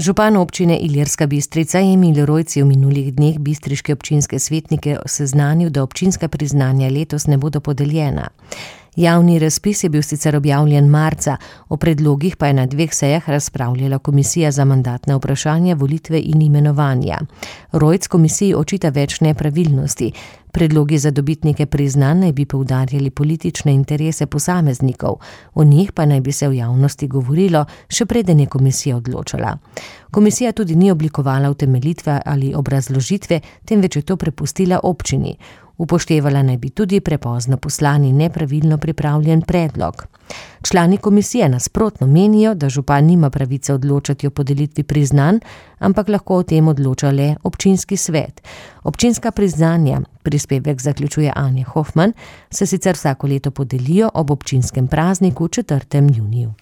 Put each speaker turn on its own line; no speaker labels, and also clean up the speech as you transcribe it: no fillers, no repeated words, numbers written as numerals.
Župan občine Ilirska Bistrica Emil Rojc je v minulih dneh bistriške občinske svetnike seznanil, da občinska priznanja letos ne bodo podeljena. Javni razpis je bil sicer objavljen marca, o predlogih pa je na 2 sejah razpravljala komisija za mandatna vprašanja, volitve in imenovanja. Rojc komisiji očita več nepravilnosti. Predlogi za dobitnike priznanj naj bi poudarjali politične interese posameznikov, o njih pa naj bi se v javnosti govorilo, še preden je komisija odločala. Komisija tudi ni oblikovala utemeljitve ali obrazložitve, temveč je to prepustila občini. Upoštevala naj bi tudi prepozno poslani nepravilno pripravljen predlog. Člani komisije nasprotno menijo, da župan nima pravice odločati o podelitvi priznanj, ampak lahko o tem odloča le občinski svet. Občinska priznanja, prispevek zaključuje Anja Hofman, se sicer vsako leto podelijo ob občinskem prazniku 4. juniju.